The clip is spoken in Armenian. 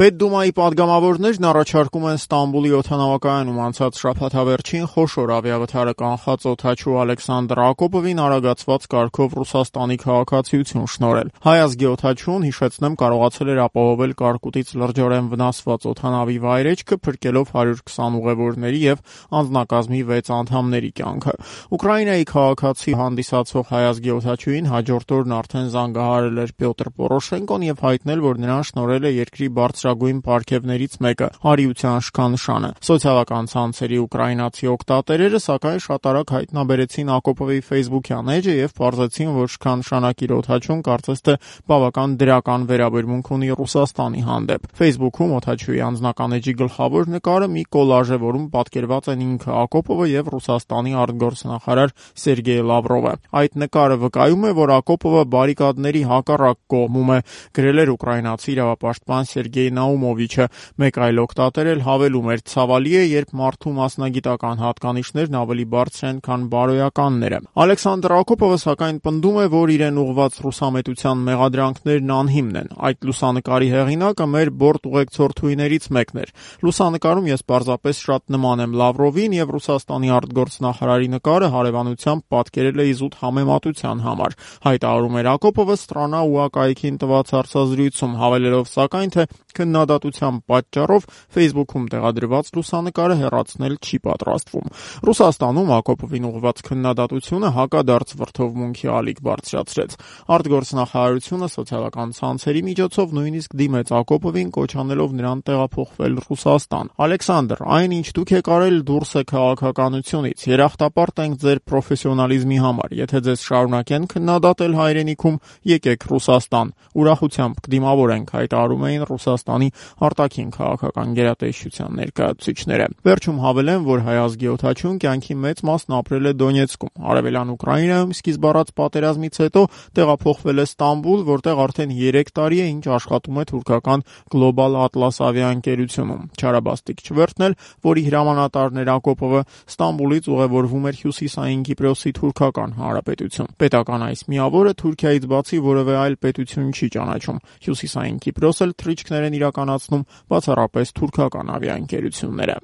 Պետդումայի падգամավորներն առաջարկում են Ստամբուլի օդանավակայանում անցած շաբաթավերջին խոշոր ավիավթարը կանխած օդաչու Ալեքսանդր Ակոպովին արագացված կարգով Ռուսաստանի քաղաքացիություն շնորհել։ Հայ ազգի օդաչուն, հիշեցնեմ, կարողացել էր ապահովել կարկուտից լրջորեն վնասված օդանավի վայրեջքը, փրկելով 120 ուղևորների եւ անձնակազմի 6 անդամների կյանքը։ Ուկրաինայի քաղաքացի հանդիսացող հայ ազգի օդաչուին հաջորդ օրն արդեն զանգահարել էր Պյոտր Պորոշենկոն եւ հայտնել, որ նրան շնորհել է երկրի բարձրագույն պարգևներից մեկը՝ արիության շքանշանը։ Սոցիալական ցանցերի ուկրաինացի օգտատերերը սակայն շատ արագ հայտնաբերեցին Ակոպովի Facebook-յան էջը եւ պարզեցին, որ շքանշանակիր օդաչուն կարծես թե բավական դրական վերաբերմունք ունի Ռուսաստանի հանդեպ։ Facebook-ում օդաչուի անձնական էջի գլխավոր նկարը մի կոլաժ է, որում պատկերված են ինքը Ակոպովը եւ Ռուսաստանի արտգործնախարար Սերգեյ Լավրովը։ Այդ նկարը վկայում է, որ Ակոպովը բարիկադների հակառակ կողմում է, գրել էր ուկրաինացի իրավապաշտպան Սերգեյ Նաումովիչը։ Մեկ այլ օգտատեր էլ հավելում էր. «Ցավալի է, երբ մարդու մասնագիտական հատկանիշներն ավելի բարձր են, քան բարոյականները»։ Ալեքսանդր Ակոպովը սակայն պնդում է, որ իրեն ուղղված ռուսամետության մեղադրանքներն անհիմն են։ Այդ լուսանկարի հեղինակը մեր բորտ ուղեկցորդուհիներից մեկն էր։ Լուսանկարում ես պարզապես շատ նման եմ Լավրովին եւ Ռուսաստանի արտգործնախարարի նկարը հարևանությամբ պատկերել է իզուտ համեմատության համար, հայտարարում էր Ակոպովը «Ստրանա» ՈՒԱԿ-ին տված հարցազրույցում, հավելելով սակայն, թե քննադատության պատճառով Facebook-ում տեղադրված լուսանկարը հեռացնել չի պատրաստվում։ Ռուսաստանում Ակոպովին ուղղված քննադատությունը հակադարձ վրդովմունքի ալիք բարձրացրեց։ Արտգործնախարարությունը սոցիալական ցանցերի միջոցով նույնիսկ դիմեց Ակոպովին, կոչ անելով նրան տեղափոխվել Ռուսաստան։ «Ալեքսանդր, այն, ինչ դուք եք արել, դուրս է քաղաքականությունից։ Երախտապարտ ենք ձեր պրոֆեսիոնալիզմի համար։ Եթե ձեզ շարունակեն քննադատել հայրենիքում, եկեք Ռուսաստան։ Ուրախությամբ կդիմավորենք», հայտարարում էին Ռուսաստանի արտաքին քաղաքական գերատեսչության ներկայացուցիչները։ Վերջում հավելեմ, որ հայ ազգի օդաչուն կյանքի մեծ մասն ապրել է Դոնեցկում։ Արևելյան Ուկրաինայում սկիզբ առած պատերազմից հետո տեղափոխվել է Ստամբուլ, որտեղ արդեն 3 տարի է, ինչ աշխատում է թուրքական Global Atlas ավիաընկերությունում։ Չարաբաստիկ Չվերթն էլ, որի հրամանատարն էր Ակոպովը, Ստամբուլից ուղևորվում էր Հյուսիսային Կիպրոսի թուրքական հանրապետություն։ Պետական այս միավորը Թուրքիայից բացի որևէ այլ պետություն չի ճանաչում։ Հյուսիսային Կիպրոս էլ թռիչքներ են իրականացնում բացառապես թուրքական ավիաընկերությունները։